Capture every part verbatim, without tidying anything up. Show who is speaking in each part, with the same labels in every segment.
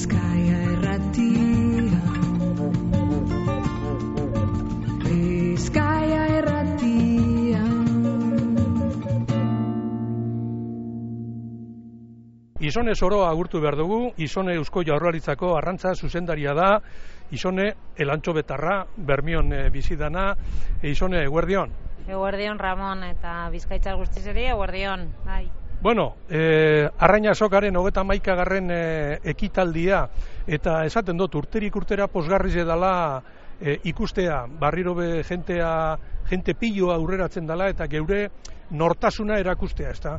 Speaker 1: Bizkaia irratia, Bizkaia irratia.
Speaker 2: Isone Soroa agurtu behar dugu. Isone Eusko Jaurlaritzako arrantza zuzendaria da. Isone elantxo betarra, Bermion e, bizidana. E, Isone, eguerdion.
Speaker 3: Eguerdion, Ramon, eta Bizkaitzar guztizeri, eguerdion, bai.
Speaker 2: Bueno, eh, Arraina Azokaren hogeta hamaikagarren eh, ekitaldia, eta esaten dut, urterik urtera posgarriz edala eh, ikustea, barriro be jentea, jente pilloa aurreratzen dela, eta geure nortasuna erakustea, ezta?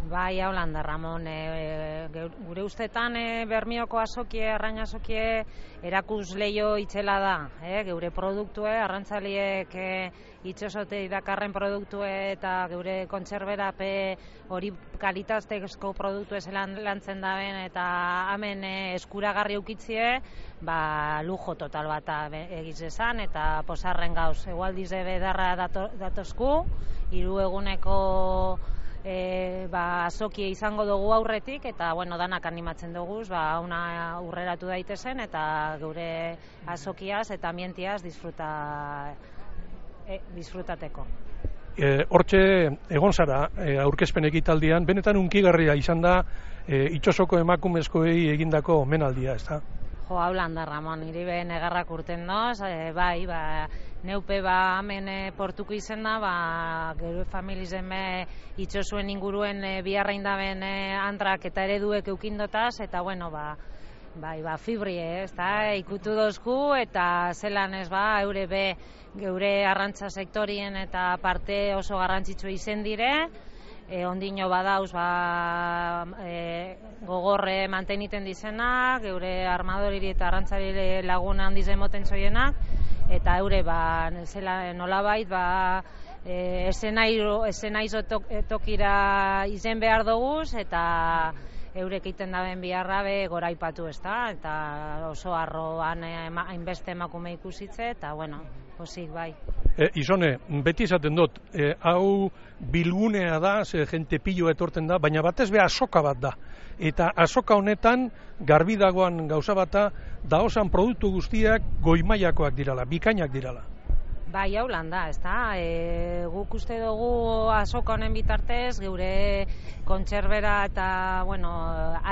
Speaker 3: Bai, haulan da, Ramon, e, gure ustetan e, Bermioko azokie, Arraina azokie erakus leio itzela da, e, geure produktue, arrantzaliek e, itxosote idakarren produktue eta geure kontserberape hori kalitatezko produktue zelan lantzen daben eta hemen e, eskuragarri eukitzie, ba, lujo total bat egiz esan eta posarren gauz, egualdize bedarra dato, datozku, hiru eguneko E, ba, azokie izango dugu aurretik eta bueno, danak animatzen dugu ba, una aurreratu daitezen eta geure azokiaz eta ambientiaz disfruta, e, disfrutateko.
Speaker 2: E, hortxe egon zara e, aurkezpen ekitaldian, benetan unkigarria izan da e, itxosoko emakumezkoei egindako omenaldia, ezta?
Speaker 3: Jo, haulan da, Ramon, niri be negarrak urten doz, e, bai, ba, neupe ba hemen e, portuko izen da, ba, gero familizen be itxosuen inguruen e, biharrein daben e, antrak eta ereduek eukindotaz, eta bueno, ba, bai, ba, fibri, ez da, ikutu dozku, eta zelan ez ba, eure be, geure arrantza sektorien eta parte oso garrantzitsu izen dire, E, ondino badauz ba, e, gogorre manteniten dizenak, geure armadoriri eta arrantzari lagun handiz emoten zoienak, eta eure ba, zela, nolabait ba, e, esenaizo tokira izen behar doguz, eta eurek iten daben biharra be goraipatu, ez da, eta oso arroan hainbeste emakume ikusitze, eta bueno, posik bai.
Speaker 2: E, Isone, beti esaten dut, e, hau bilgunea da, ze jente pilloa etorten da, baina batez be azoka bat da. Eta azoka honetan, garbi dagoan gauza bata, da osan produktu guztiak goimaiakoak dirala, bikainak dirala.
Speaker 3: Bai, hau lan da, ez da, e, guk uste dugu azoka honen bitartez, geure kontserbera eta, bueno,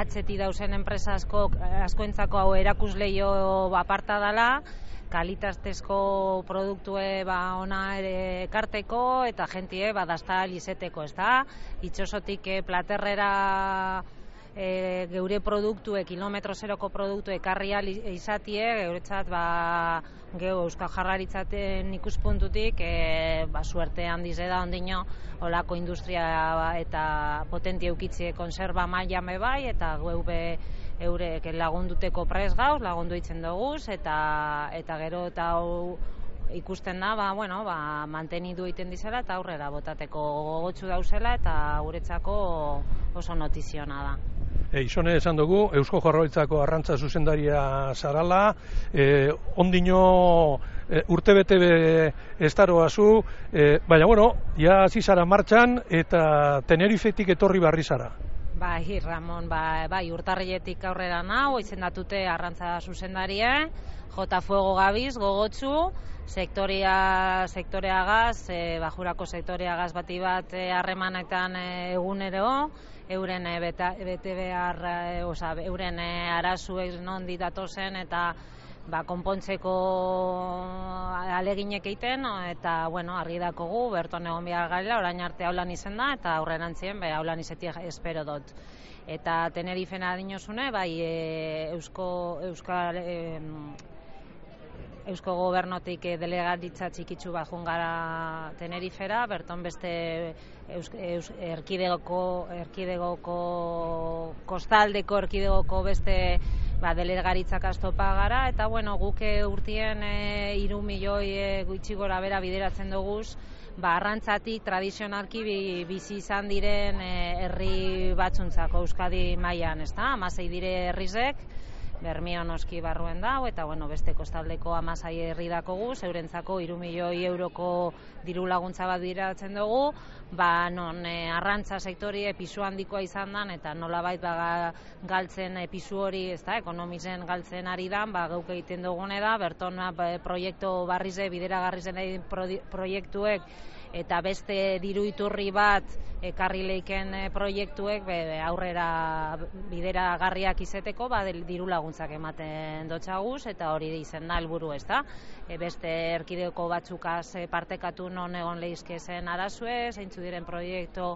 Speaker 3: atzeti dauzen enpresa asko, askoentzako hau erakusleio aparta dela, kalitatezko produktue ba ona ere ekarteko eta jentie badazta izeteko, ez da? Itxosotik e, platerrera e, geure produktue, kilometro zeroko produktu ekarri izatie, geuretzat ba, geu Euskal Jaurlaritzaten ikuspuntutik e, ba, suerte handiz da ondino olako industria eta potentia eukitzie konserba maila me bai, eta geu be eurek lagunduteko prez gauz, lagundu itzen doguz, eta, eta gero eta hau ikusten da, ba, bueno, ba, mantenidu egiten dizela eta aurrera botateko gogotsu dauzela eta guretzako oso notiziona da.
Speaker 2: E, Isone esan dugu, Eusko Jaurlaritzako arrantza zuzendaria zarala, e, ondino e, urtebete estaroa zu, e, baina bueno, ja hasi zara martxan eta Tenerifetik etorri barri zara.
Speaker 3: Bai, Ramon, bai, bai urtarriletik aurrera nau, izendatute arrantza zuzendaria, Jota Fuego gabiz, gogotsu, sektorea, sektoreagaz, e, bajurako sektoreagaz bati bat harremanetan e, egunero, euren e, beta, bete behar, e, oza, euren e, arazuek non ditatozen eta ba, konpontzeko aleginek egiten, eta, bueno, argi dakogu, berton egon behar gaila, orain arte haulan izen da, eta aurrerantzien, be, haulan izetik espero dut. Eta Tenerifen adinosune, bai, e, Eusko, Euskal, e, Eusko Gobernotik e, delegaritza txikitsu bat jungara Tenerifera, berton beste Eus, Eus, erkidegoko, erkidegoko, kostaldeko erkidegoko beste ba, delegaritzak astopa gara, eta bueno, guke urtien e, iru milioi e, gutxi gora bera bideratzen duguz, ba, arrantzatik tradizionalki bi, bizi izan diren e, herri batzuntzako Euskadi mailan, ez da? Hamasei dire herrizek, Bermio noski barruen dau, eta bueno, beste kostaldeko hamasei herri dakogu, zeurentzako hiru milioi euroko diru laguntza bat bideratzen dugu, ba, non e, arrantza sektorie pisu handikoa izan dan, eta nolabait ba, galtzen e, pisu hori, ez da, ekonomizen galtzen ari dan, ba, geuk egiten dugune da, berton ba, proiektu barrize, bideragarri zen proiektuek, eta beste diru iturri bat ekarri leiken proiektuek be, aurrera bideragarriak izeteko ba, diru laguntzak ematen dotxaguz, eta hori izen da helburu, ez da. E, beste erkideko batzukaz partekatu non egon leizke zen arazue, zeintzu diren proiektu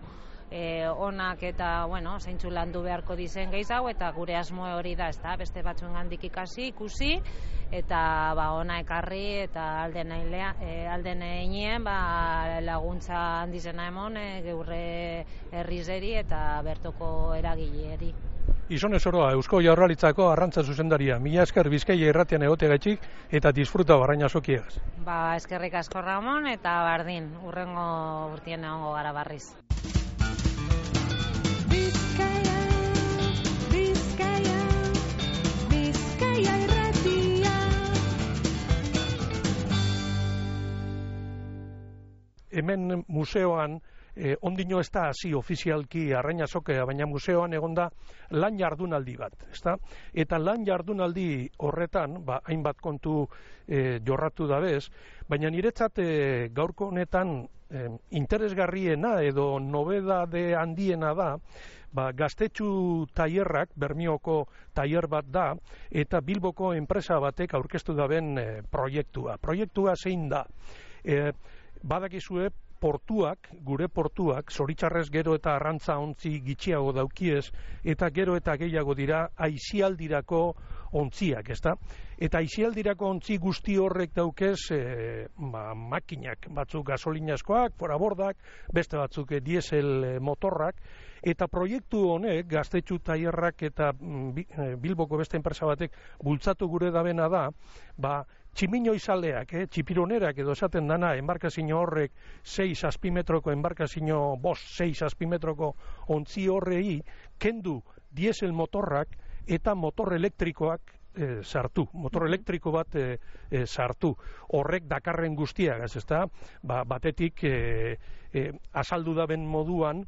Speaker 3: E, onak eta, bueno, zeintzu landu beharko dizen gehiago, eta gure asmo hori da, ez da, beste batzuen gandik ikasi, ikusi, eta ba, ona ekarri, eta alden ailea, e, alden einien, ba, laguntza handizena emon, e, geurre herrizeri eta bertoko eragileri.
Speaker 2: Izone zoroa, Eusko Jaurlaritzako arrantza zuzendaria, mila esker Bizkaia irratian egoteagatik eta disfruta Arraina Sokiegaz.
Speaker 3: Ba, eskerrik asko Ramon, eta bardin, urrengo urtien egongo gara barriz.
Speaker 1: Bizkaia, Bizkaia, Bizkaia irratia.
Speaker 2: Hemen museoan, eh, ondino ez da hasi ofizialki Arraina Sokea, baina museoan egonda lan jardunaldi bat, ezta? Eta lan jardunaldi horretan, ba, hainbat kontu eh, jorratu dabez, baina niretzat eh, gaurko honetan eh, interesgarriena edo nobedade handiena da, ba, Gaztetxu tailerrak, Bermioko tailer bat da, eta Bilboko enpresa batek aurkeztu daben eh, proiektua. Proiektua zein da? Eh, badakizue portuak, gure portuak, zoritxarrez gero eta arrantza ontzi gitxiago daukiez, eta gero eta gehiago dira aisialdirako ontziak, ezta? Eta aisialdirako ontzi guzti horrek daukez e, ba, makinak, batzuk gasolinazkoak, forabordak, beste batzuk e, diesel motorrak, eta proiektu honek, Gaztetxu tailerrak eta mm, Bilboko beste enpresa batek bultzatu gure dabena da, ba, tximino izaleak, eh, txipironerak edo esaten dana, enbarkazio horrek sei zazpimetroko enbarkazio, bost, sei zazpimetroko ontzi horrei, kendu diesel motorrak eta motor elektrikoak e, sartu, motor elektriko bat e, e, sartu. Horrek dakarren guztiagaz, ezta? Ba, batetik e, e, azaldu daben moduan,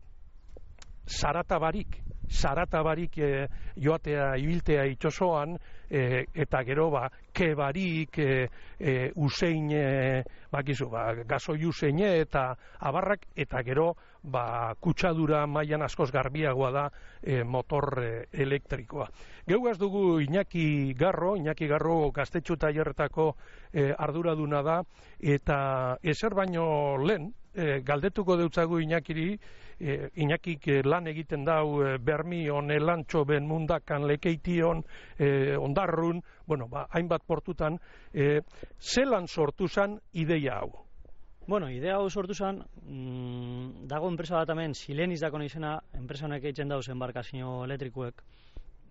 Speaker 2: zarata barik, zarata barik e, joatea ibiltea itxosoan, e, eta gero ba, ke barik, e, e, usein, e, bakizu, ba, gazoi useine eta abarrak, eta gero ba, kutsadura mailan askoz garbiagoa da e, motor e, elektrikoa. Geugaz dugu Iñaki Garro, Iñaki Garro Gaztetxu tailerretako e, arduraduna da, eta ezer baino lehen, e, galdetuko deutzagu Iñakiri, E, Iñakik e, lan egiten dau e, Bermion, Elantxo, Benmundakan, Lekeition, e, Ondarrun, bueno, ba, hainbat portutan, e, zelan sortu zan ideia hau?
Speaker 4: Bueno, idea hau sortu zen, mmm, dago enpresa bat hemen, Sileniz dako izena, enpresa honek eitzen dauz enbarkazio elektrikuek,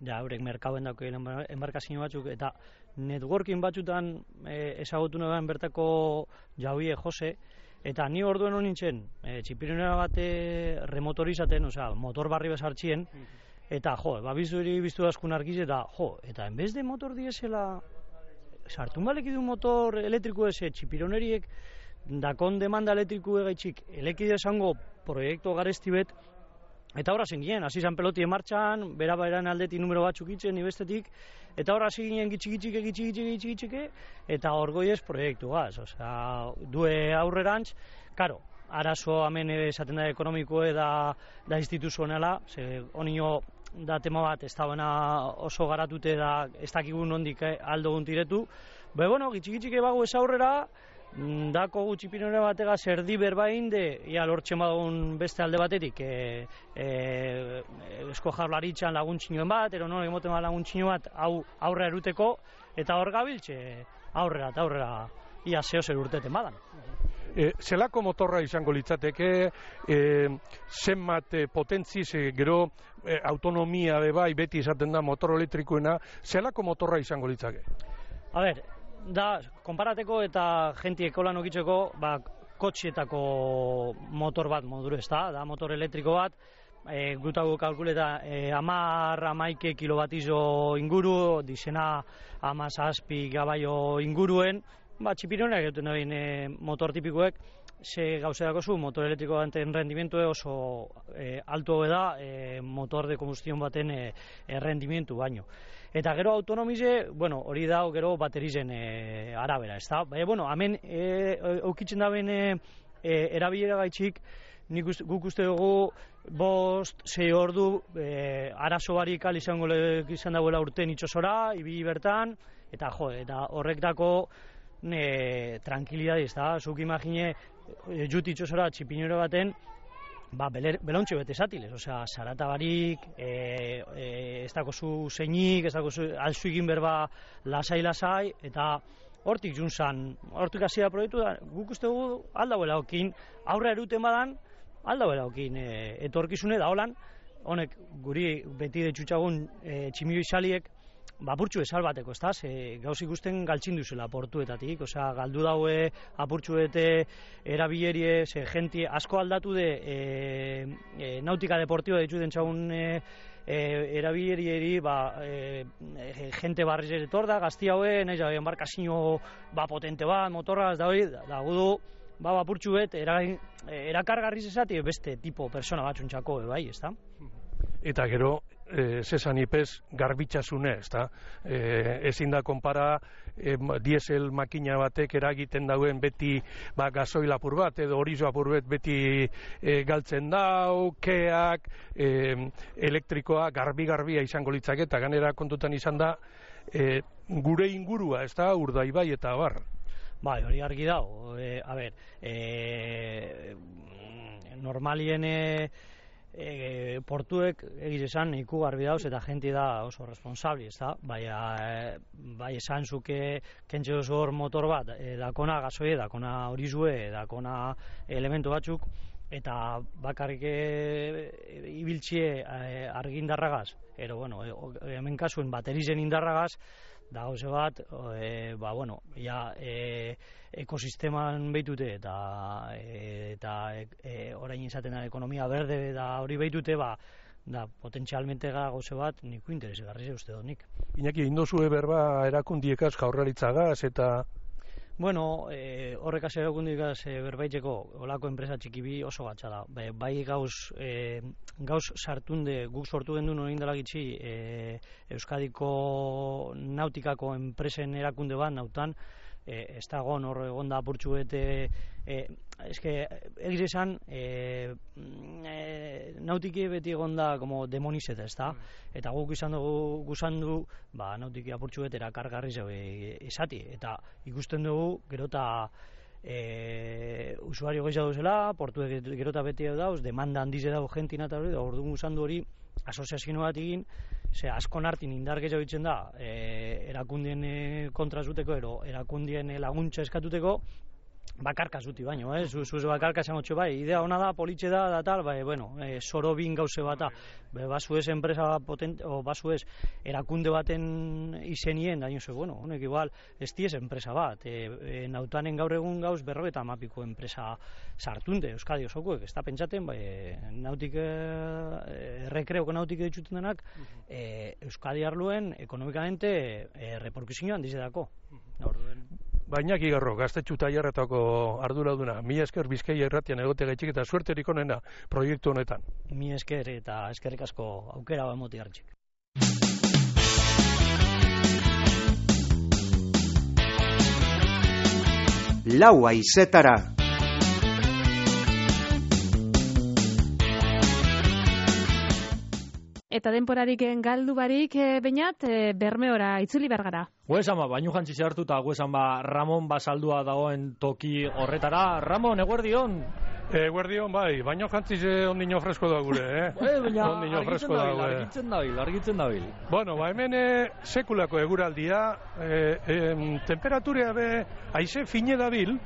Speaker 4: ja, eurek merkauen dako enbarkazio batzuk, eta networking batzutan e, ezagutu nagoen bertako Jauie Jose, eta ni orduen hon nintzen, e, txipironera bate remotorizaten, osea, motor barri bezartxien, eta jo, babizuri biztu askun argiz, eta jo, eta enbez de motor diesela, sartun balek du motor elektriku eze, txipironeriek, dakon demanda elektriku egaitxik, elekide esango proiektu garesti bet, eta horra zen ginen, hasi zan peloti martxan, bera bairan aldetik numero batzuk itzen, ibestetik, eta horra hasi ginen gitxik-gitxik, gitxik-gitxik, gitxik-gitxik, eta orgoiez proiektu gaz, osea, due aurrerantz, karo, arazo hemen esaten da ekonomikoe da, da instituzionala, ze honio da tema bat, ez da oso garatute da, ez dakigun nondik aldo guntiretu, be bueno, gitxik-gitxik bago ez aurrera, dako gutxipinore batega zerdi berbain de, ia lortzen bagun beste alde batetik, e, e, esko jaurlaritzan laguntzinoen bat, ero non emoten bat laguntzino bat, hau aurrera eruteko, eta hor gabiltze aurrera eta aurrera ia zeo zer urteten badan.
Speaker 2: E, zelako motorra izango litzateke, e, zenbat e, potentziz, e, gero e, autonomia bebai beti izaten da motor elektrikoena, zelako motorra izango litzake?
Speaker 4: A ber, da, konparateko eta jenti ekolan okitzeko, ba, kotxietako motor bat moduru ez da, da motor elektriko bat, e, gutago kalkuleta e, amar amaike kilobatizo inguru, dizena amazazpi gabaio inguruen, ba, txipironak egiten dabein e, motor tipikoek, ze gauzerako zu, motor elektriko baten rendimentu oso e, alto da e, motor de combustión baten e, e, rendimentu baino. Eta gero autonomize, bueno, hori da gero baterizen e, arabera, ez da? Baina, bueno, hemen e, eukitzen daben e, e, erabilera gaitxik, nik uste, guk uste dugu bost, sei ordu e, arazo barik al izango izan dagoela urten itxosora, ibili bertan, eta jo, eta horrek dako e, tranquilidad, ez da? Zuk imagine, e, jut itxosora txipinero baten, ba, belontxe bete zatiles, osea, zarata barik, e, e, ez dako zu zeinik, ez dako zu alzu egin berba lasai-lasai, eta hortik juntzan, hortik hasia proiektu da, guk uste dugu aldauela okin, aurra eruten badan, aldauela okin e, etorkizune da holan, honek guri beti detxutxagun e, tximio izaliek, apurtxu ezal bateko, ez da, ze gauz ikusten galtzin duzela portuetatik, osea, galdu daue apurtxuete erabilerie, ze jenti asko aldatu de e, e, nautika deportiba dituten txagun e, e, erabilerieri, ba, e, e, jente barriz etor da, gazti haue, nahiz da, embarkazio ba, potente bat, motorra, ez da hori, da gudu, ba, apurtxuet, era, erakargarriz ezati beste tipo persona batxuntxako, e, bai, ez da?
Speaker 2: Eta gero, e, zesan ipez garbitxasune, ez da? E, ezin da konpara e, diesel makina batek eragiten dauen beti ba, gasoil apur bat, edo horizo apur bat beti e, galtzen dau, keak, e, elektrikoa garbi-garbia izango litzake, eta ganera kontutan izan da, e, gure ingurua, ez da, Urdaibai eta bar.
Speaker 4: Bai, hori argi dago, e, a ber, e, normalien e, e, portuek egiz esan iku garbi dauz eta jenti da oso responsabli, ez da? Bai, e, bai esan zuke kentxe oso hor motor bat, e, dakona gasoie, dakona horizue, dakona elementu batzuk, eta bakarrik e, ibiltzie e, argindarragaz, ero, bueno, e, hemen kasuen baterizen indarragaz, da gauze bat, e, ba, bueno, ja, e, ekosisteman behitute eta, e, eta e, orain izaten da ekonomia berde da hori behitute, ba, da potentzialmente gauze bat niku interesgarri uste dut nik.
Speaker 2: Iñaki, indozue berba erakundiekaz jaurlaritzagaz eta...
Speaker 4: Bueno, e, horrek hasi erakundikaz e, berbaitzeko olako enpresa txikibi oso gatsa da. Bai, bai gauz, e, gauz sartunde guk sortu gendu norin dela gitxi e, Euskadiko nautikako enpresen erakunde bat nautan, e, ez da egon hor egon da apurtxu bete, e, eske, egiz esan, e, e, nautiki beti egon da como demonizeta, ez da? Eta guk izan dugu, guzan du, ba, nautiki apurtxu bete erakargarri zeu izati, eta ikusten dugu, gero eta e, usuario gehiago duzela, portuek gero eta beti dauz, demanda handize dago jentina eta hori, da orduan guzan du hori, asoziazio bat egin, ze asko nartin indar gehiago ditzen da, e, erakundien e, kontra zuteko, ero erakundien laguntza eskatuteko, bakarka zuti baino, eh? Zuz zu bakarka esan otxo, bai, idea ona da, politxe da, da tal, bai, bueno, e, zoro bin gauze bata, be, basu ez enpresa potente, o basu ez erakunde baten izenien, da niozu, bueno, honek igual, ez diez enpresa bat, e, e, nautanen gaur egun gauz berrogeta mapiko enpresa sartunde, Euskadi osokoek, ez da pentsaten, bai, nautik, e, rekreoko nautik dituten denak, e, Euskadi arluen, ekonomikamente, e, reperkusioan dizedako. Orduen.
Speaker 2: Baina Igarro, Gaztetxu Tailerretako arduraduna, mila esker Bizkaia irratian egote gaitxik eta suerterik onena proiektu honetan.
Speaker 4: Mi esker eta eskerrik asko aukera emoti hartxik.
Speaker 5: Lau haizetara.
Speaker 1: Eta denporarik galdu barik, e, Beñat, e, Bermeora itzuli bergara.
Speaker 6: Guesan ba, baino jantzi zehartu eta guesan ba, Ramon basaldua dagoen toki horretara. Ramon, eguerdion?
Speaker 2: Eguerdion, bai, baino jantzi ondino fresko da gure, eh?
Speaker 6: E, baina,
Speaker 2: ondino fresko da gure.
Speaker 6: Argitzen dabil, argitzen dabil.
Speaker 2: Bueno, ba, hemen e, sekulako eguraldia, e, e, temperaturea be, haize fine dabil,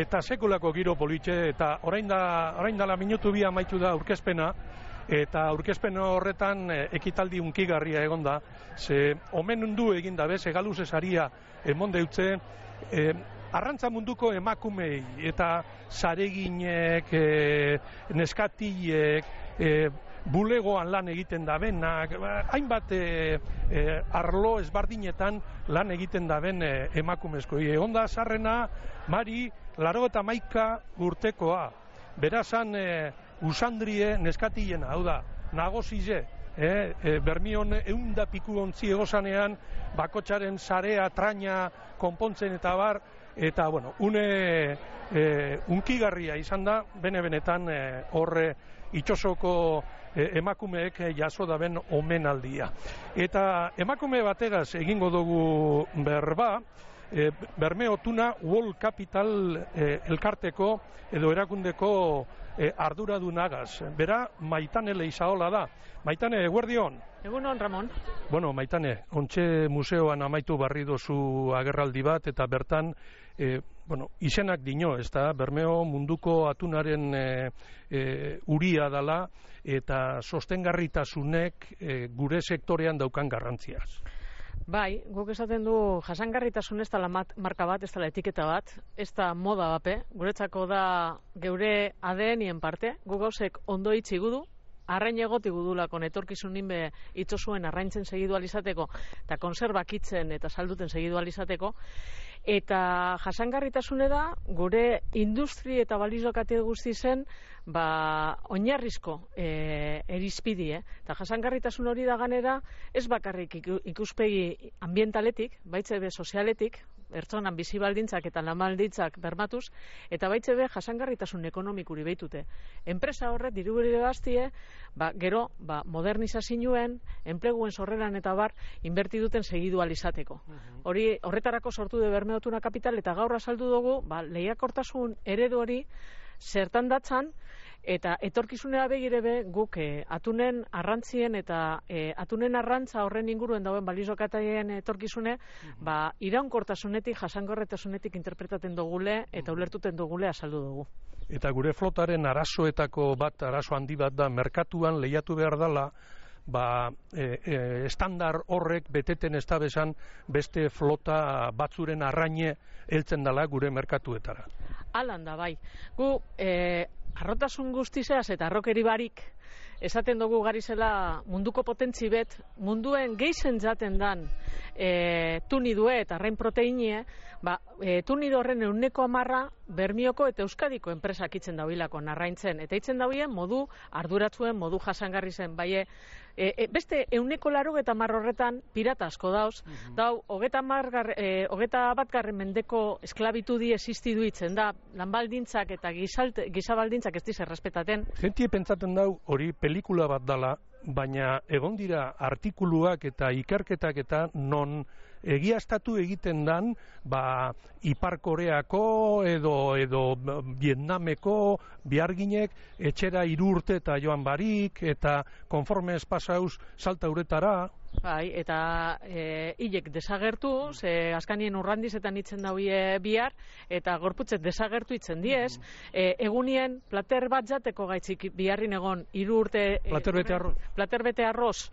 Speaker 2: eta sekulako giro politxe, eta orain da, orain dala minutu bi amaitu da aurkezpena, eta aurkezpen horretan e, ekitaldi unkigarria egon da, ze omen undu egin da bez, egaluz esaria emon deutze, e, arrantza munduko emakumei eta zareginek, e, neskatilek, e, bulegoan lan egiten dabenak, hainbat e, e, arlo ezbardinetan lan egiten daben e, emakumezkoi. Onda sarrena, Mari, laro eta maika urtekoa. Berazan e, usandrie neskatien, hau da, nagozize, e, e, bermion eunda piku ontzi egozanean, bakotxaren sarea, traina, konpontzen eta bar, eta, bueno, une e, unkigarria izan da, bene-benetan e, horre itxosoko e, emakumeek jaso daben omenaldia. Eta emakume bategaz egingo dugu berba, e, Bermeo Tuna World Capital e, elkarteko edo erakundeko e, arduradunagaz. Bera, Maitane Leizaola da. Maitane, eguerdion.
Speaker 1: Egunon, Ramon.
Speaker 2: Bueno, Maitane, ontxe museoan amaitu barri dozu agerraldi bat, eta bertan, e, bueno, izenak dino, ez da, Bermeo munduko atunaren e, e, uria dala, eta sostengarritasunek e, gure sektorean daukan garrantziaz.
Speaker 7: Bai, guk esaten du jasangarritasun ez da marka bat, ez da etiketa bat, ez da moda bape, guretzako da geure A D N-ien parte, guk gauzek ondo itxi gudu, arrain egoti gudulako etorkizun ninbe itxosuen arraintzen segidu alizateko, eta konserbak itzen eta salduten segidu alizateko, eta jasangarritasune da gure industri eta balizokate guzti zen ba, oinarrizko e, erizpidi, eh? Eta jasangarritasun hori da ganera ez bakarrik ikuspegi ambientaletik, baitze be sozialetik, pertsonan bizi baldintzak eta lan baldintzak bermatuz, eta baitze be jasangarritasun ekonomikuri behitute. Enpresa horret dirubere bastie, ba, gero ba, modernizazioen, enpleguen sorreran eta bar, inberti duten segidu alizateko. Hori horretarako sortu de Bermeo Tuna Kapital, eta gaur azaldu dugu, ba, lehiakortasun eredu hori zertan datzan, eta etorkizunera begire be guk e, atunen arrantzien eta e, atunen arrantza horren inguruen dauen balizokataien etorkizune, ba, iraunkortasunetik, jasangorretasunetik interpretaten dugule eta ulertuten dugule azaldu dugu.
Speaker 2: Eta gure flotaren arazoetako bat, arazo handi bat da, merkatuan lehiatu behar dela, ba, e, e, estandar horrek beteten ez da bezan beste flota batzuren arraine heltzen dela gure merkatuetara.
Speaker 7: Alan da, bai. Gu, e, arrotasun guztizeaz eta arrokeri barik, esaten dugu garizela munduko potentzi bet, munduen geizen jaten dan e, tunidue eta arrain proteinie, ba, e, tunido horren euneko amarra Bermioko eta Euskadiko enpresak itzen dauilako narraintzen, eta itzen dauien modu arduratzuen, modu jasangarri zen, bai, e, e, beste euneko laro eta mar horretan pirata asko dauz, uh-huh. dau, hogeta, margar, e, hogeta batgarren mendeko esklabitudi existidu itzen da, lanbaldintzak eta gizalte, gizabaldintzak ez diz errespetaten.
Speaker 2: Gentie pentsaten dau hori pelikula bat dala, baina egon dira artikuluak eta ikerketak eta non egiaztatu egiten dan, ba, Ipar Koreako edo, edo Vietnameko biharginek etxera hiru urte eta joan barik, eta konforme ez pasauz salta uretara.
Speaker 7: Bai, eta e, hilek desagertu, ze askanien urrandizetan itzen dauie bihar, eta gorputzet desagertu itzen diez, e, egunien plater bat jateko gaitzik biharrin egon hiru urte...
Speaker 2: Plater bete arroz.
Speaker 7: Plater bete arroz.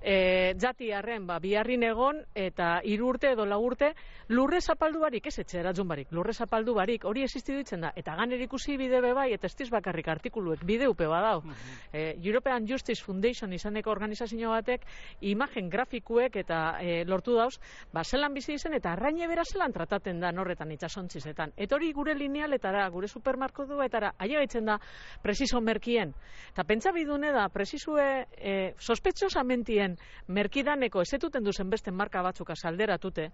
Speaker 7: E, jati harren, ba, biharrin egon, eta hiru urte edo lau urte, lurre zapaldu barik, ez etxe eratzun barik, lurre zapaldu barik, hori existidu ditzen da, eta ganer ikusi bide bebai, eta ez bakarrik artikuluek, bide upe badau. E, European Justice Foundation izaneko organizazio batek, imagen grafikuek eta e, lortu dauz, ba, zelan bizi izen, eta arraine bera zelan trataten da norretan itxasontzizetan. Eta hori gure linealetara, gure supermarkoduetara, ailegaitzen da, presiso merkien. Eta pentsa bidune da, presisue e, sospetxosamentien merkidaneko ezetuten duzen beste marka batzuk azalderatute,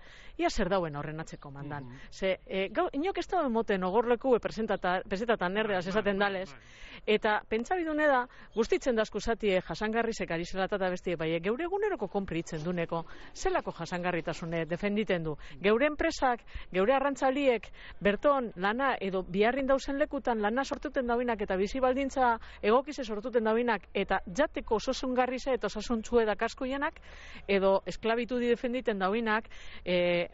Speaker 7: ia zer dauen horren atzeko mandan. Mm -hmm. Ze, e, gau, inok ez dauen moten ogorleku pesetatan erdeaz esaten dalez, eta pentsabidune da, guztitzen dazku zatie jasangarrizek ari zelatata bestie, bai, geure eguneroko konpritzen duneko, zelako jasangarritasune defenditen du. Geure enpresak, geure arrantzaliek, berton lana edo biharrin dauzen lekutan lana sortuten dauinak eta bizi baldintza egokize sortuten dauinak eta jateko osasungarrize eta osasuntzue da kaskoienak, edo esklabitudi defenditen dauinak, e,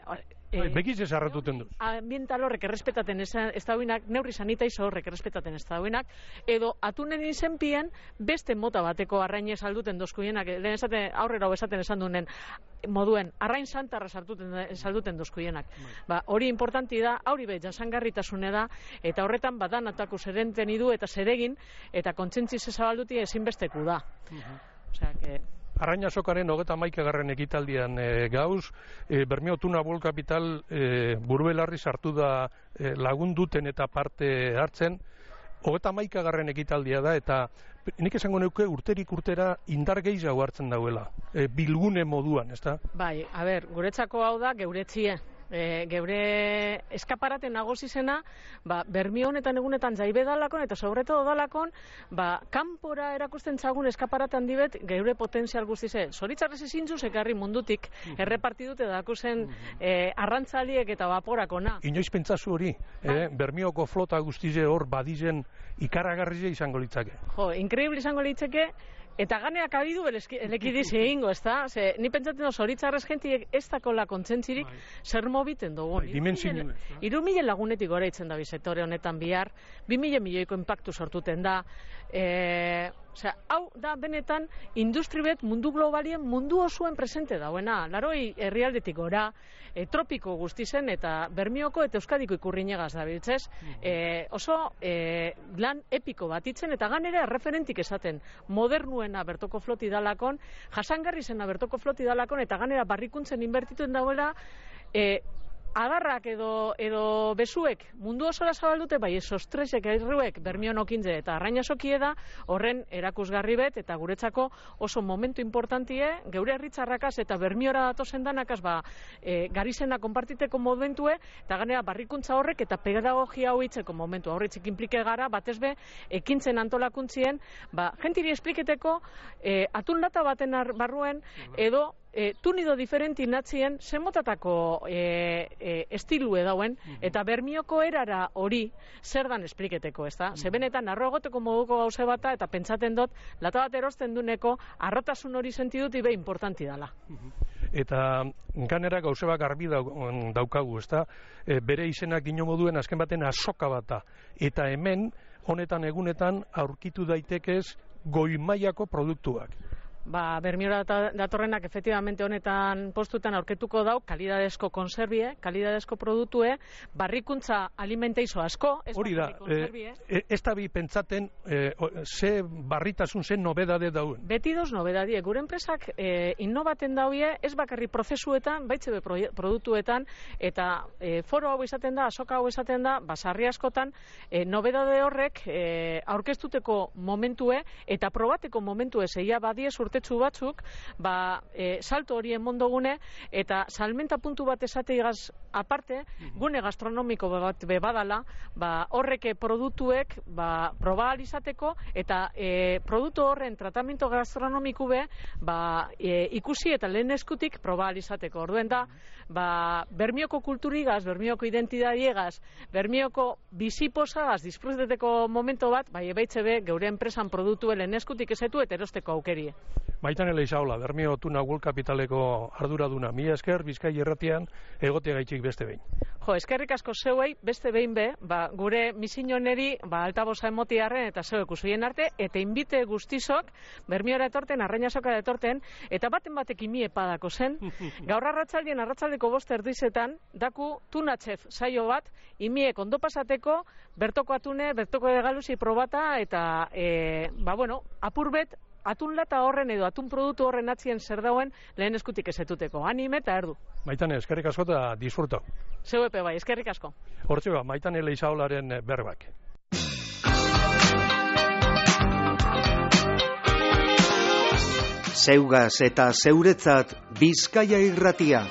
Speaker 2: E, Begiz ez arratuten du.
Speaker 7: Ambiental horrek errespetaten ez, ez dauinak, neurri sanitaizo horrek errespetaten ez dauinak, edo atunen izenpien beste mota bateko arrainez alduten dozkuienak, lehen esaten, aurrera esaten esan dunen moduen, arrain santarra salduten dozkuienak. Ba, hori importanti da, hori be, jasangarritasune da, eta horretan badan atako zerenten idu eta zeregin, eta kontsentziz ezabalduti ezinbesteku da. Osea, que...
Speaker 2: Arraina sokaren hogeta maikagarren ekitaldian e, gauz, e, Bermeo Tuna World Capital e, burubelarri sartu da e, lagunduten eta parte hartzen, hogeta maikagarren ekitaldia da, eta nik esango neuke urterik urtera indar gehiago hartzen dauela, e, bilgune moduan, ezta?
Speaker 7: Bai, a ber, guretzako hau da geuretzie. E, geure eskaparaten nagozizena, ba, Bermio honetan egunetan jaibe dalakon, eta sobreto dalakon, ba, kanpora erakusten txagun eskaparaten dibet, geure potentzial guztize. Zoritzarrez ezintzuz ekarri mundutik, errepartidute dakuzen e, arrantzaliek eta vaporakona.
Speaker 2: Inoiz pentsazu hori, eh? Bermioko flota guztize hor badizen ikaragarria izango litzake.
Speaker 7: Jo, inkreíble izango litzake, eta ganeak abidu elekidiz egingo, ez da? Ze, ni pentsatzen dut, zoritzarrez gentiek ez dakola kontsentzirik zer mobiten dugun. Iru mila lagunetik gora itzen da sektore honetan bihar, bi mila milioiko impactu sortuten da. E, osea, hau da benetan industri bet mundu globalien mundu osuen presente dauena. Laroi herrialdetik gora, e, tropiko guztizen eta Bermioko eta Euskadiko ikurrinegaz da biltzez. E, oso e, lan epiko bat itzen eta ganera referentik esaten modernuena bertoko floti dalakon, jasangarri zena bertoko floti dalakon eta ganera barrikuntzen inbertituen dauela, e, adarrak edo, edo besuek mundu osora zabaldute, bai esostresek erruek Bermion okintze eta arraina sokie da, horren erakusgarri bet, eta guretzako oso momentu importantie, geure herritzarrakaz eta Bermiora datozen danakaz, ba, e, garizena konpartiteko momentue, eta ganera barrikuntza horrek eta pedagogia hau itzeko momentu, horretzik implike gara, batezbe, ekintzen antolakuntzien, ba, gentiri espliketeko, e, atun lata baten barruen, edo, E, tunido diferenti natzien zemotatako e, e, estilue dauen, eta Bermioko erara hori zer dan espliketeko, ez da? Zebenetan arro egoteko moduko gauze bata, eta pentsaten dut, lata bat erosten duneko, arrotasun hori sentidut ibe importanti dala.
Speaker 2: Eta ganera gauze bak garbi daukagu, ez da? E, bere izenak dino moduen azken baten azoka bata, eta hemen, honetan egunetan, aurkitu daitekez goi mailako produktuak.
Speaker 7: Ba, Bermiora datorrenak efectivamente honetan postutan aurketuko dau, kalidadezko konserbie, kalidadezko produktue, barrikuntza alimenteizo asko, ez
Speaker 2: hori da, e, ez da bi pentsaten e, ze barritasun, ze nobedade dauen.
Speaker 7: Beti doz nobedadie, gure enpresak e, innovaten dauie, ez bakarri prozesuetan, baitzebe produktuetan, eta e, foro hau izaten da, azoka hau izaten da, basarri askotan, e, nobedade horrek e, aurkeztuteko momentue, eta probateko momentue zeia badie urtetsu batzuk, ba, e, salto horien mondogune, eta salmenta puntu bat esateigaz aparte, gune gastronomiko bat bebadala, ba, horreke produktuek, ba, proba alizateko, eta e, produktu horren tratamiento gastronomiku be, ba, e, ikusi eta lehen eskutik proba alizateko. Orduen da, ba, Bermioko kulturigaz, Bermioko identidadiegaz, Bermioko biziposagaz, disfruteteko momento bat, bai ebaitze be, geure enpresan produktue lehen eskutik ezetu eta erosteko aukerie.
Speaker 2: Maitan Eleizaola, Bermio Tuna World Capitaleko arduraduna. Mila esker, Bizkai irratian, egotea gaitxik beste behin.
Speaker 7: Jo, eskerrik asko zeuei, beste behin be, ba, gure misinoneri, ba, altaboza emotiarren eta zeuek usuien arte, eta inbite guztizok, Bermiora etorten, arraina soka etorten, eta baten batek imie padako zen. Gaur arratzaldien, arratzaldeko bost erdizetan, daku tunatxef saio bat, imiek ondo pasateko, bertoko atune, bertoko egaluzi probata, eta, e, ba, bueno, apurbet, atun lata horren edo atun produktu horren atzien zer dauen lehen eskutik ezetuteko. Anime eta erdu.
Speaker 2: Maitane, eskerrik asko eta disfruto.
Speaker 7: Zeu epe bai, eskerrik asko.
Speaker 2: Hortxe ba, Maitane Eleizaolaren berbak.
Speaker 5: Zeugaz eta zeuretzat Bizkaia irratia.